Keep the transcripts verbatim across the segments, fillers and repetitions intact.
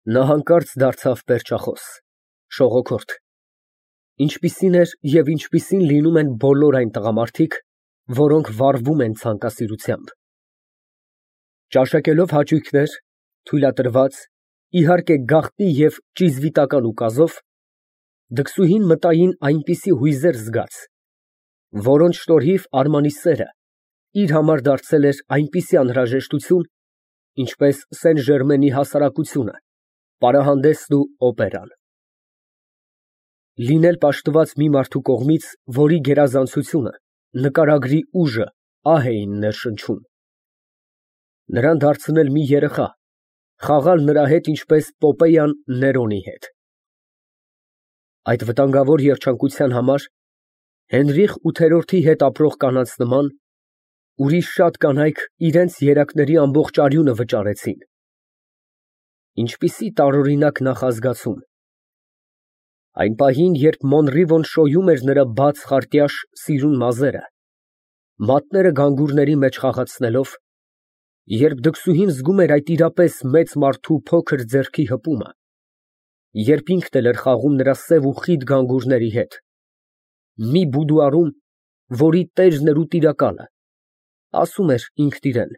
Նա հանկարծ դարձավ պերճախոս, շողոքորթ, ինչպիսին էր և ինչպիսին լինում են բոլոր այն տղամարդիկ, որոնք վարվում են ցանկասիրությամբ։ Ճաշակելով հաճույքներ, թույլատրված, իհարկե գաղտնի և ճիզվիտական ուկազով, դքսուհին մտային այնպիսի հույզեր զգաց, որոնց շնորհիվ Արմանի սերը իր համար դարձել էր այնպիսի անհրաժեշտություն, ինչպես Սեն Ժերմենի հասարակությունը, պարահանդեսն ու օպերան։ Լինել պաշտված մի մարդու կողմից, որի գերազանցությունը, նկարագրի ուժը ահ էին ներշնչում։ Նրան դարձնել մի երեխա, խաղալ նրա հետ ինչպես Պոպեյան Ներոնի հետ։ Այդ վտանգավոր երջանկության համար Հենրիխ ութերորդի հետ ապրող կանանց նման, ուրիշ շատ կանայք իրենց երակների ամբողջ արյունը վճարեցին։ Ինչպիսի տարօրինակ նախազգացում։ Այն պահին, երբ Մոնրիվոն շոյում էր նրա բաց խարտյաշ սիրուն մազերը, մատները գանգուրների մեջ խաղացնելով, երբ դքսուհին զգում էր այդ իրապես մեծ մարդու փոքր ձեռքի հպումը, երբ ինքն էլ էր խաղում նրա սև ու խիտ գանգուրների հետ, մի բուդուարում, որի տերն էր ու տիրակալը, ասում էր ինքն իրան.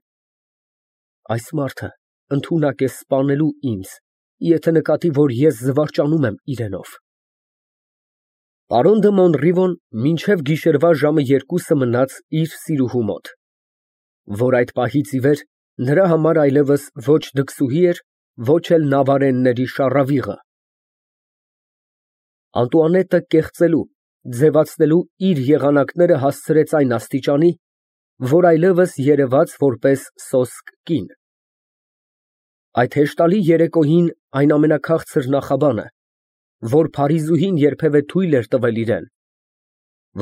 այս մարդը ընդունակ է սպանելու ինձ, եթե նկատի, որ ես զվարճանում եմ իրենով։ Պարոն դը Մոնրիվոն մինչև գիշերվա ժամը երկուսը մնաց իր սիրուհու մոտ, որ այդ պահից ի վեր նրա համար այլևս ոչ դքսուհի էր, ոչ էլ նավարենների շառավիղը։ Անտուանետը կեղծելու, ձևացնելու իր եղանակները հասցրեց այն աստիճանի, որ այլևս երևաց որպես սոսկ կին։ Այդ հեշտալի երեկոյին այն ամենաքաղցր նախաբանը, որ Փարիզուհին երբևէ թույլ էր տվել իրան,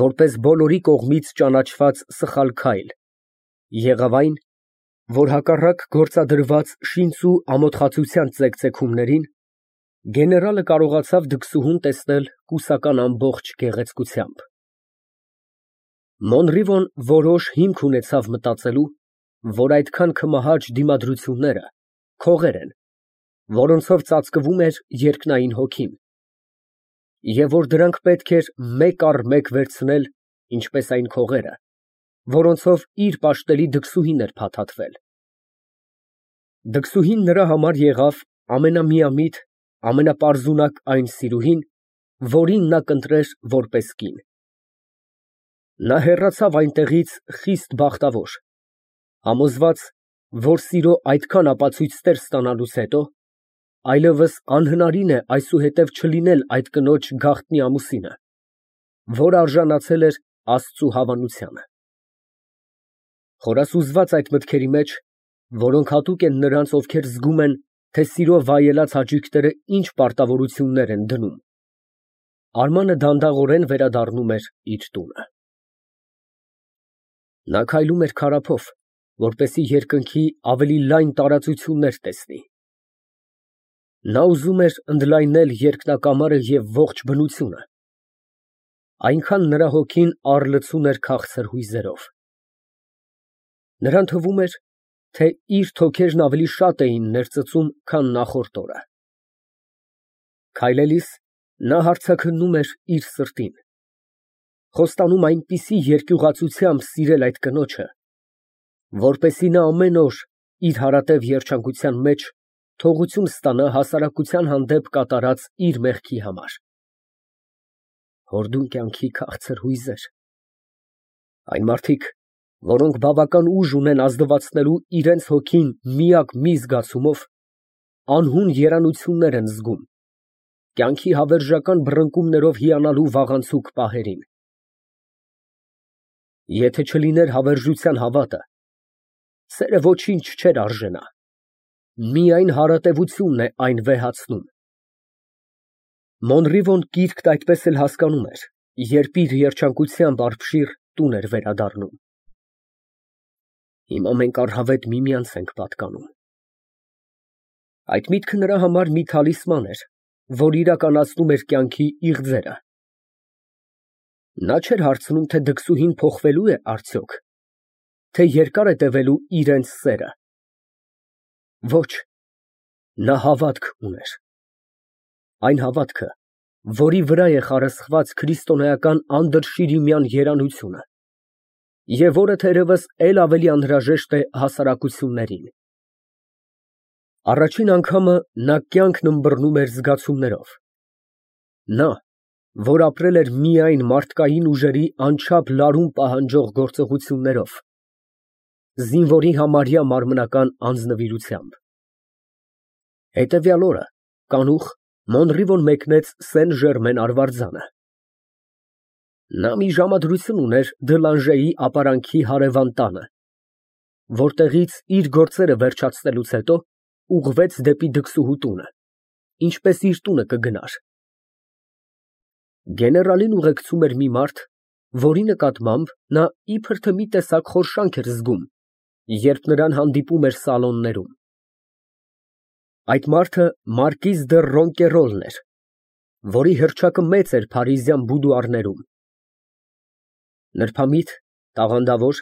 որպես բոլորի կողմից ճանաչված սխալ քայլ, եղավ այն, որ հակառակ գործադրված շինծ ու ամոթխածության ծեկծեքումներին, գեներալը կարողացավ դքսուհուն տեսնել կուսական ամբողջ գեղեցկությամբ։ Մոնրիվոն որոշ հիմք ունեցավ մտածելու, որ այդքան քմահաճ դիմադրությունները քողեր են, որոնցով ծածկվում էր երկնային հոգին, և որ դրանք պետք էր մեկ առ մեկ վերցնել, ինչպես այն քողերը, որոնցով իր պաշտելի դքսուհին էր փաթաթվել։ Դքսուհին նրա համար եղավ ամենամիամիտ, ամենապարզունակ այն սիրուհին, որին նա կընտրեր որպես կին։ Նա հեռացավ այնտեղից խիստ բախտավոր, համոզված, որ սիրո այդքան ապացույցներ ստանալուց հետո այլևս անհնարին է այսուհետև չլինել այդ կնոջ գաղտնի ամուսինը, որ արժանացել էր Աստծու հավանությանը։ Խորասուզված այդ մտքերի մեջ, որոնք հատուկ են նրանց, ովքեր զգում են, թե սիրո վայելած հաճույքները ինչ պարտավորություններ են դնում, Արմանը դանդաղորեն վերադառնում էր իր տունը։ Նա քայլում էր քարափով, որպեսզի երկնքի ավելի լայն տարածություններ տեսնի։ Նա ուզում էր ընդլայնել երկնակամարը և ողջ բնությունը, այնքան նրա հոգին առլցուն էր քաղցր հույզերով։ Նրան թվում էր, թե իր թոքերն ավելի շատ էին ներծծում, քան նախորդ օրը։ Քայլելիս նա հարցաքննում էր իր սրտին, խոստանում այնպիսի երկյուղացությամբ սիրել այդ կնոջը, որպեսզի նա ամեն օր իր հարատև երջանկության մեջ թողություն ստանա հասարակության հանդեպ կատարած իր մեղքի համար։ Հորդուն կյանքի քաղցր հույզեր։ Այն մարդիկ, որոնք բավական ուժ ունեն ազդվացնելու իրենց հոգին միակ մի զգացումով, անհուն երանություններ են զգում, կյանքի հավերժական բռնկումներով հիանալու վաղանցուկ պահերին։ Եթե չլիներ հավերժության հավատը, սերը ոչինչ չէր արժենա, միայն հարատևությունն է այն վեհացնում։ Մոնրիվոն կիրքն այդպես էլ հասկանում էր, երբ իր երջանկությամբ արբշիր տուն էր վերադառնում։ Հիմա մենք առհավետ միմյանց ենք պատկանում։ Այդ միտքը նրա համար մի թալիսման էր, որ իրականացնում էր կյանքի իղձերը։ Նա չէր հարցնում, թե դքսուհին փոխվելու է արդյոք, թե երկար է տևելու իրենց սերը։ Ոչ, Նա հավատք ուներ։ Այն հավատքը, որի վրա է խարսխված քրիստոնեական անդրշիրիմյան երանությունը, և որը թերևս էլ ավելի անհրաժեշտ է հասարակություններին։ Առաջին անգամը նա կյանքն ըմբռնում էր զգացումներով։ Նա, որ ապրել էր միայն մարդկային ուժերի անչափ լարում պահանջող գործողություններով, զինվորի համարյա մարմնական անձնվիրությամբ։ Հետևյալ օրը, կանուխ, Մոնրիվոն մեկնեց Սեն Ժերմեն արվարձանը։ Նա մի ժամադրություն ուներ Դելանժեի ապարանքի հարևան տանը, որտեղից իր գործերը վերջացնելուց հետո ուղղվեց դեպի դքսուհու տունը, ինչպես իր տունը կգնար։ Գեներալին ուղեկցում էր մի մարդ, որի նկատմամբ նա իբր թե մի տեսակ խորշանք էր զգում, երբ նրան հանդիպում էր սալոններում։ Այդ մարդը մարկիզ դը Ռոնկերոլն էր, որի հռչակը մեծ էր փարիզյան բուդուարներում։ Նրբամիտ, տաղանդավոր,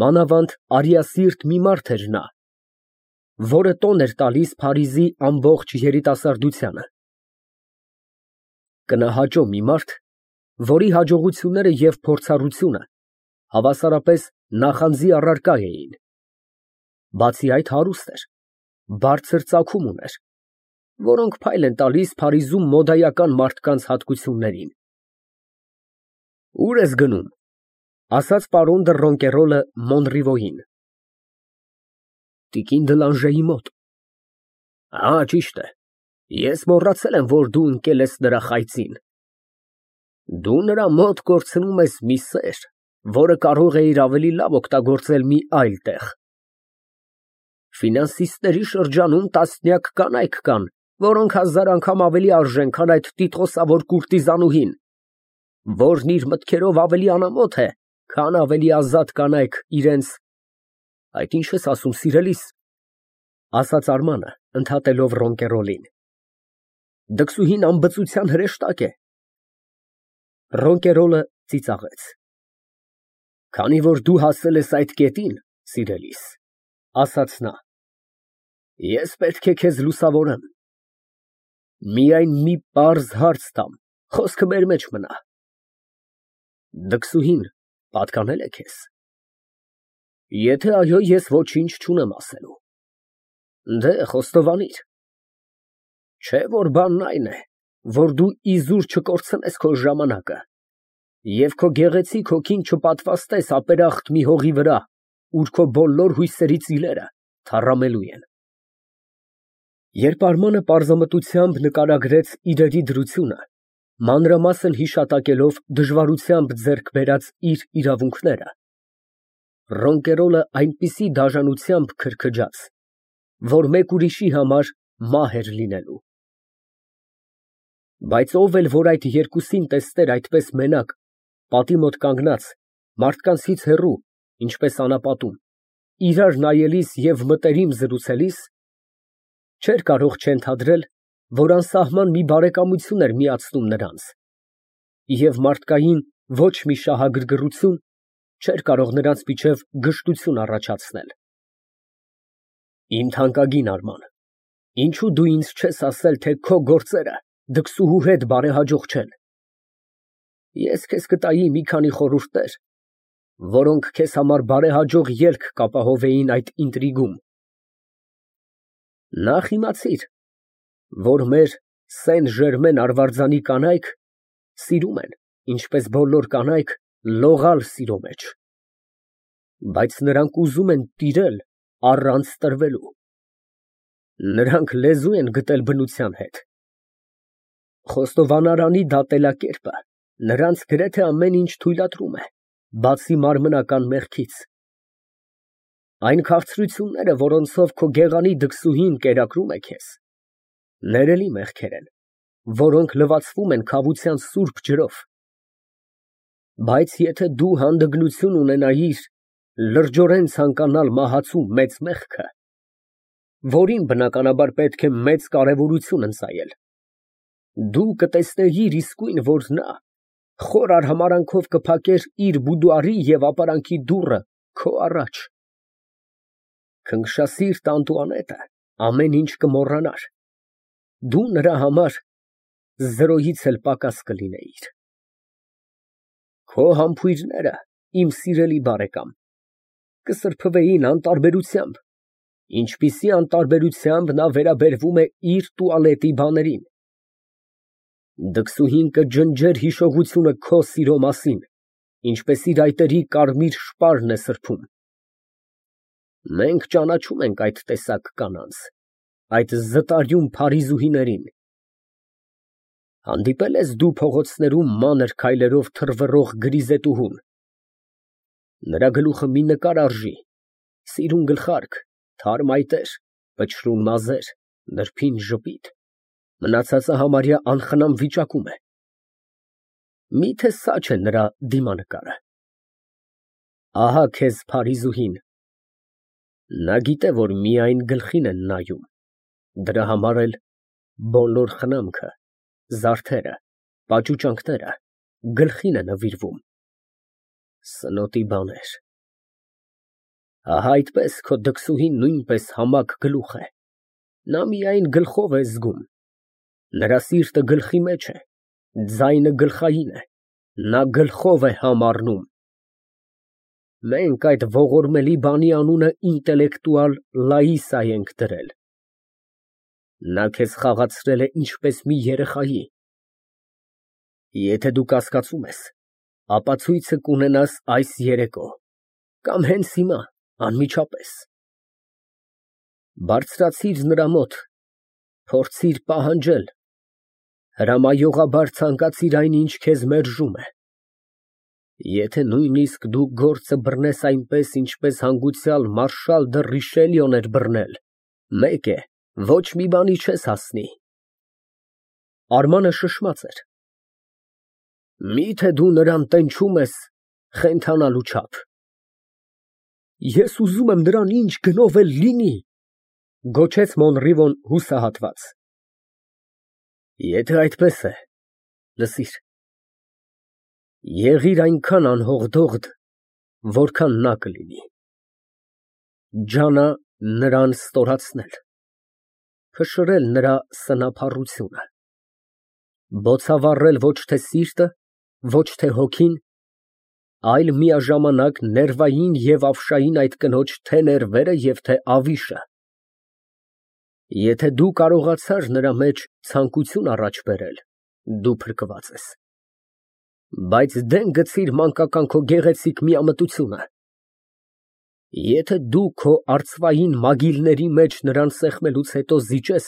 մանավանդ արիասիրտ մի մարդ էր նա, որը տոն էր տալիս Փարիզի ամբողջ երիտասարդությանը։ Կնահաճո մի մարդ, որի հաջողությունները և փորձառությունը հավասարապես նախանձի առարկա էին։ Բացի այդ, հարուստ էր, բարձր ծագում ուներ, որոնք փայլ են տալիս Փարիզում մոդայական մարդկանց հատկություններին։ Ո՞ւր ես գնում, ֊ ասաց պարոն դը Ռոնկերոլը Մոնրիվոյին։ Տիկին Դելանժեի մոտ։ Ա, ճիշտ է, ես մոռացել եմ, որ դու ընկել ես նրա խայծին։ Դու նրա մոտ կորցնում ես մի սեր, որը կարող էիր ավելի լավ օգտագործել մի այլ տեղ։ Ֆինանսիստների շրջանում տասնյակ կանայք կան, որոնք հազար անգամ ավելի արժեն, քան այդ տիտղոսավոր կուրտիզանուհին, որն իր մտքերով ավելի անամոթ է, քան ավելի ազատ կանայք իրենց… Այդ ի՞նչ ես ասում, սիրելիս, ֊ ասաց Արմանը, ընդհատելով Ռոնկերոլին։ Դքսուհին անբծության հրեշտակ է։ Ռոնկերոլը ծիծաղեց։ Քանի որ դու հասել ես այդ կետին, սիրելիս, ֊ ասաց նա, ես պետք է քեզ լուսավորեմ։ Միայն մի պարզ հարց տամ, խոսքը մեր մեջ մնա։ Դքսուհին պատկանե՞լ է քեզ։ Եթե այո, ես ոչինչ չունեմ ասելու։ Դե, խոստովանիր։ Չէ՞ որ բանն այն է, որ դու իզուր չկորցնես քո ժամանակը և քո գեղեցիկ հոգին չպատվաստես ապերախտ մի հողի վրա, ուր քո բոլոր հույսերի ծիլերը թառամելու են։ Երբ Արմանը պարզամտությամբ նկարագրեց իրերի դրությունը, մանրամասն հիշատակելով դժվարությամբ ձեռք բերած իր իրավունքները, Ռոնկերոլը այնպիսի դաժանությամբ քրքջաց, որ մեկ ուրիշի համար մահ էր լինելու։ Բայց ով էլ որ այդ երկուսին տեսներ այդպես մենակ, պատի մոտ կանգնած, մարդկանցից հեռու, ինչպես անապատում, իրար նայելիս և մտերիմ զրուցելիս, չէր կարող չենթադրել, որ անսահման մի բարեկամություն էր միացնում նրանց, և մարդկային ոչ մի շահագրգռություն չէր կարող նրանց միջև գժտություն առաջացնել։ Իմ թանկագին Արման, ինչո՞ւ դու ինձ չես ասել, թե քո գործերը դքսուհու հետ բարեհաջող չեն։ Ես քեզ կտայի մի քանի խորհուրդներ, որոնք քեզ համար բարեհաջող ելք կապահովեին այդ ինտրիգում։ Նախ իմացիր, որ մեր Սեն Ժերմեն արվարձանի կանայք սիրում են, ինչպես բոլոր կանայք, լողալ սիրո մեջ, բայց նրանք ուզում են տիրել առանց տրվելու։ Նրանք լեզու են գտել բնության հետ։ Խոստովանարանի դատելակերպը նրանց գրեթե ամեն ինչ թույլատրում է, բացի մարմնական մեղքից։ Այն քաղցրությունները, որոնցով քո գեղանի դքսուհին կերակրում է քեզ, ներելի մեղքեր են, որոնք լվացվում են քավության սուրբ ջրով։ Բայց եթե դու հանդգնություն ունենայիր լրջորեն ցանկանալ մահացու մեծ մեղքը, որին բնականաբար պետք է մեծ կարևորություն ընծայել, դու կտեսնեիր իսկույն, որ նա խոր արհամարհանքով կփակեր իր բուդուարի և ապարանքի դուռը քո առաջ։ Քնքշասիրտ Անտուանետը ամեն ինչ կմոռանար, Դու նրա համար զրոյից էլ պակաս կլինեիր։ Քո համբույրները, իմ սիրելի բարեկամ, կսրբվեին անտարբերությամբ, ինչպիսի անտարբերությամբ նա վերաբերվում է իր տուալետի բաներին։ Դքսուհին կջնջեր հիշողությունը քո սիրո մասին, ինչպես իր այտերի կարմիր շպարն է սրբում։ Մենք ճանաչում ենք այդ տեսակ կանանց, այդ զտարյուն փարիզուհիներին։ Հանդիպե՞լ ես դու փողոցներում մանր քայլերով թռվռող գրիզետուհուն։ Նրա գլուխը մի նկար արժի, սիրուն գլխարկ, թարմ այտեր, փչրուն մազեր, նրբին ժպիտ, մնացածը համարյա անխնամ վիճակում է։ Միթե սա չէ նրա դիմանկարը։ Ահա քեզ փարիզուհին։ Նա գիտե, որ միայն գլխին են նայում, դրա համար էլ բոլոր խնամքը, զարդերը, պաճուճանքները գլխին է նվիրվում։ Սնոտի բաներ։ Ահա այդպես քո դքսուհին նույնպես համակ գլուխ է, նա միայն գլխով է զգում, նրա սիրտը գլխի մեջ է, ձայնը գլխային է, նա գլխով է համառնում։ Մենք այդ ողորմելի բանի անունը ինտելեկտուալ Լաիսա ենք դրել։ Նա քեզ խաղացրել է ինչպես մի երեխայի։ Եթե դու կասկածում ես, ապա ցույցը կունենաս այս երեկո, կամ հենց հիմա, անմիջապես։ Բարձրացիր նրա մոտ, փորձիր պահանջել, հրամայողաբար ցանկացիր այն, ինչ քեզ մերժում է։ Եթե նույնիսկ դու գործը բռնես այնպես, ինչպես հանգուցյալ մարշալ դը Ռիշելիոն էր բռնել, մեկ է, ոչ մի բանի չես հասնի։ Արմանը շշմած էր։ Միթե դու նրան տենչում ես խենթանալու չափ։ Ես ուզում եմ նրան ինչ գնով էլ լինի, գոչեց Մոնրիվոն հուսահատված։ Եթե այդպես է, լսիր, եղիր այնքան անհողդողդ, որքան նա կլինի։ Ջանա նրան ստորացնել, փշրել նրա սնափառությունը, բոցավառել ոչ թե սիրտը, ոչ թե հոգին, այլ միաժամանակ ներվային և ավշային այդ կնոջ թե ներվերը և թե ավիշը։ Եթե դու կարողացար նրա մեջ ցանկություն առաջ բերել, դու փրկված ես։ Բայց դեն գցիր մանկական քո գեղեցիկ միամտությունը։ Եթե դու քո արծվային մագիլների մեջ նրան սեղմելուց հետո զիջես,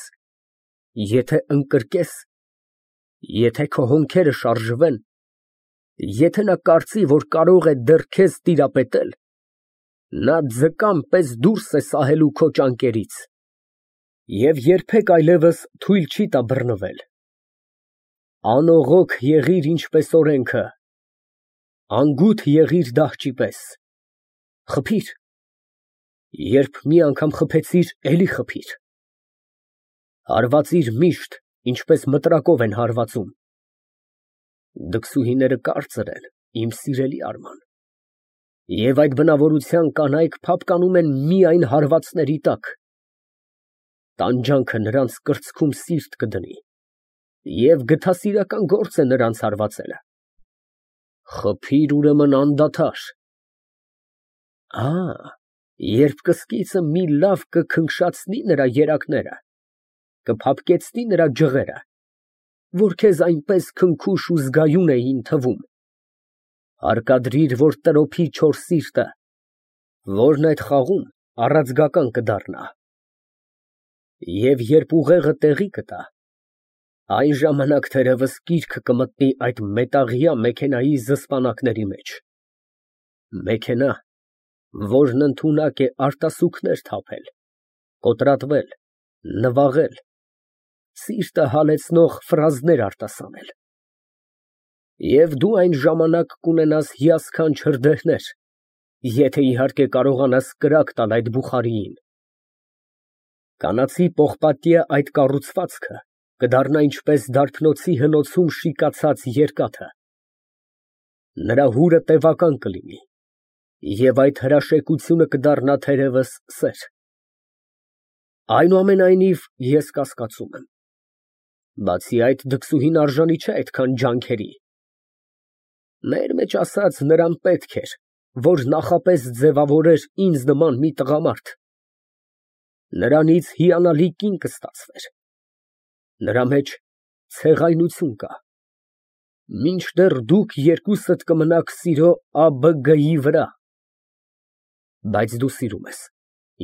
եթե ընկրկես, եթե քո հոնքերը շարժվեն, եթե նա կարծի, որ կարող է դեռ քեզ տիրապետել, նա ձկան պես դուրս է սահելու քո ճանկերից և երբեք այլևս թույլ չի տա բռնվել։ Անողոք եղիր ինչպես օրենքը, անգութ եղիր դահճի պես, խփիր, երբ մի անգամ խփեցիր, էլի խփիր, հարվածիր միշտ, ինչպես մտրակով են հարվածում։ Դքսուհիները կարծր են, իմ սիրելի Արման, և այդ բնավորության կանայք փափկանում են միայն հարվածների տակ։ Տանջանքը նրանց կրծքում սիրտ կդնի, և գթասիրական գործ է նրանց հարվածելը։ Խփիր ուրեմն անդադար։ Ա, երբ կսկիցը մի լավ կքնքշացնի նրա երակները, կփափկեցնի նրա ջղերը, որ քեզ այնպես քնքուշ ու զգայուն էին թվում, հարկադրիր, որ տրոփի չոր սիրտը, որն այդ խաղում առաձգական կդառնա։ Եվ երբ ուղեղը տեղի կտա, այն ժամանակ թերևս կիրք կմտնի այդ մետաղյա մեքենայի զսպանակների մեջ, մեքենա, որն ընդունակ է արտասուքներ թափել, կոտրատվել, նվաղել, սիրտը հալեցնող ֆրազներ արտասանել։ Եվ դու այն ժամանակ կունենաս հիասքանչ հրդեհներ, եթե իհարկե կարողանաս կրակ տալ այդ բուխարիին։ Կանացի պողպատյա այդ կառուցվածքը կդառնա ինչպես դարբնոցի հնոցում շիկացած երկաթը։ Նրա հուրը տևական կլինի, և այդ հրաշեկությունը կդառնա թերևս սեր։ Այնուամենայնիվ, ես կասկածում եմ։ Բացի այդ, դքսուհին արժանի չէ այդքան ջանքերի։ Մեր մեջ ասած, նրան պետք էր, որ նախապես ձևավորեր ինձ նման մի տղամարդ, նրանից հիանալի կին կստացվեր, նրա մեջ ցեղայնություն կա, մինչդեռ դուք երկուսդ կմնաք սիրո ԱԲԳ-ի վրա, բայց դու սիրում ես,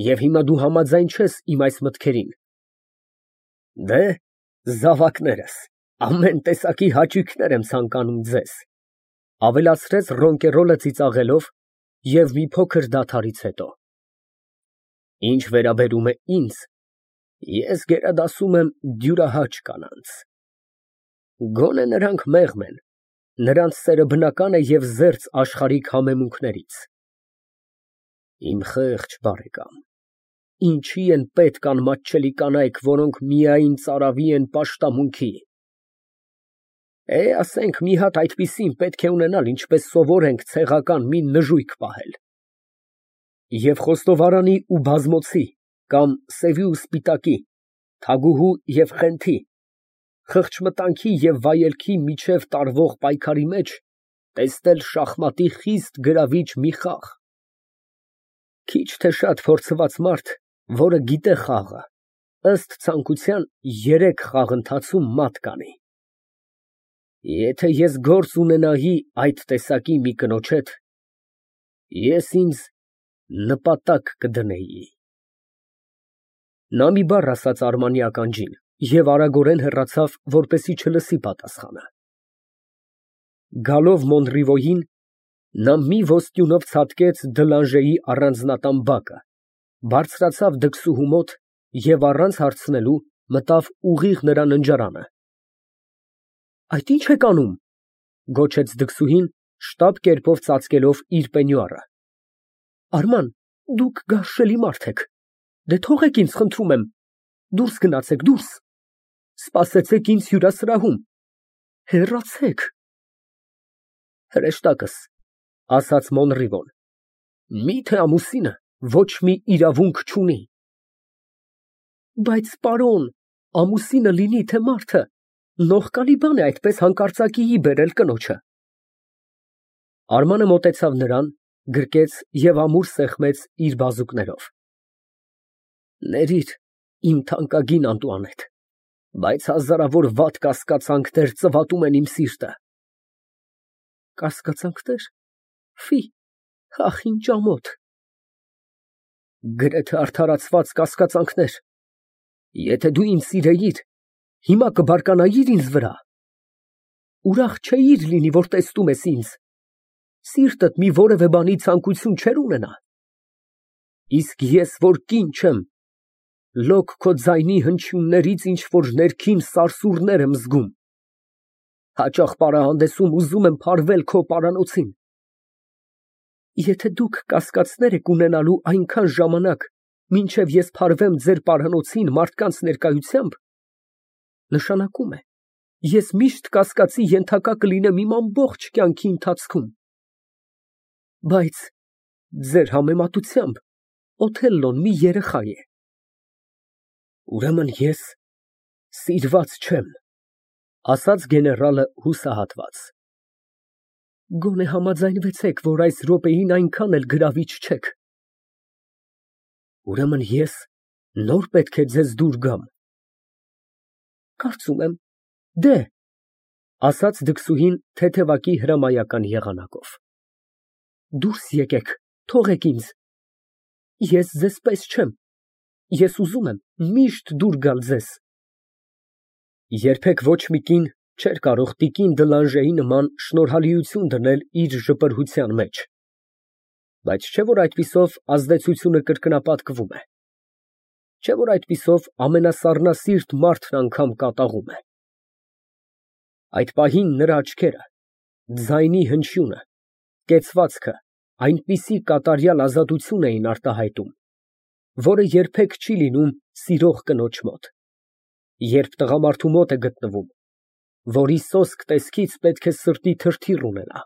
և հիմա դու համաձայն չես իմ այս մտքերին։ Դե, զավակներս, ամեն տեսակի հաճույքներ եմ ցանկանում ձեզ, ավելացրեց Ռոնկերոլը ծիծաղելով և մի փոքր դադարից հետո, ինչ վերաբերում է ինձ, ես գերադասում եմ դյուրահաճ կանանց, գոնե նրանք մեղմ են, նրանց սերը բնական է և զերծ աշխարհիկ համեմունքներից։ Իմ խեղճ բարեկամ, ինչի են պետք անմատչելի կանայք, որոնք միայն ծարավի են պաշտամունքի։ Է, ասենք, մի հատ այդպիսին պետք է ունենալ, ինչպես սովոր ենք ցեղական մի նժույգ պահել։ Եվ խոստովարանի ու բազմոցի, կամ սևի ու սպիտակի, թագուհու և խենթի, խղճմտանքի և վայելքի միջև տարվող պայքարի մեջ տեսնել շախմատի խիստ գրավիչ մի խաղ։ Քիչ թե շատ փորձված մարդ, որը գիտե խաղը, ըստ ցանկության երեք խաղ ընթացում մատ կանի։ Եթե ես գործ ունենայի այդ տեսակի մի կնոջ հետ, ես ինձ նպատակ կդնեի։ Նա մի բառ ասաց Արմանի ականջին և արագորեն հեռացավ, որպեսզի չլսի պատասխանը։ Գալով Մոնրիվոյին, նա մի ոսկյունով ցատկեց Դլանժեի առանձնատան բակը, բարձրացավ դքսուհու մոտ և առանց հարցնելու մտավ ուղիղ նրա ննջարանը։ Այդ ի՞նչ եք անում, գոչեց դքսուհին, շտապ կերպով ծածկելով իր պենյուարը։ Արման, դուք գարշելի մարդ եք, դե թողեք ինձ, խնդրում եմ, դուրս գնացեք, դուրս, սպասեցեք ինձ հյուրասրահում, հեռացեք։ Հրեշտակս, ասաց Մոնրիվոն, մի՞թե ամուսինը ոչ մի իրավունք չունի։ Բայց պարոն, ամուսինը լինի թե մարդը, նողկալի բան է այդպես հանկարծակիի բերել կնոջը։ Արմանը մոտեցավ նրան, գրկեց և ամուր սեղմեց իր բազուկներով։ Ներիր, իմ թանկագին Անտուանետ, բայց հազարավոր վատ կասկածանքներ ծվատում են իմ սիրտը։ Կասկածանքնե՞ր, ֆի, ախ, ինչ ամոթ։ Գրեթե արդարացված կասկածանքներ։ Եթե դու ինձ սիրեիր, հիմա կբարկանայիր ինձ վրա։ Ուրախ չէիր լինի, որ տեսնում ես ինձ, սիրտդ մի որևէ բանի ցանկություն չէր ունենա։ Իսկ ես, որ կին չեմ, լոկ քո ձայնի հնչյուններից ինչ֊որ ներքին սարսուռներ եմ զգում։ Հաճախ պարահանդեսում ուզում եմ փարվել քո պարանոցին։ Եթե դուք կասկածներ եք ունենալու այնքան ժամանակ, մինչև ես փարվեմ ձեր պարանոցին մարդկանց ներկայությամբ, նշանակում է, ես միշտ կասկածի ենթակա կլինեմ իմ ամբողջ կյանքի ընթացքում։ Բայց ձեր համեմատությամբ Օթելլոն մի երեխա է։ Ուրեմն ես սիրված չեմ, ասաց գեներալը հուսահատված։ Գոնե համաձայնվեցեք, որ այս րոպեին այնքան էլ գրավիչ չեք։ Ուրեմն ես նոր պետք է ձեզ դուր գամ։ Կարծում եմ, դե, ասաց դքսուհին թեթևակի հրամայական եղանակով։ Դուրս եկեք, թողեք ինձ։ Ես ձեզ պես չեմ, ես ուզում եմ միշտ դուր գալ ձեզ։ Երբեք ոչ մի կին չէր կարող տիկին Դլանժեի նման շնորհալիություն դնել իր ժպրհության մեջ, բայց չէ՞ որ այդպիսով ազդեցությունը կրկնապատկվում է, չէ՞ որ այդպիսով ամենասառնասիրտ մարդն անգամ կատաղում է։ Այդ պահին նրա աչքերը, ձայնի հնչյունը, կեցվածքը այնպիսի կատարյալ ազատություն էին արտահայտում, որը երբեք չի լինում սիրող կնոջ մոտ, երբ տղամարդու մոտ է գտնվում, որի սոսկ տեսքից պետք է սրտի թրթիռ ունենա։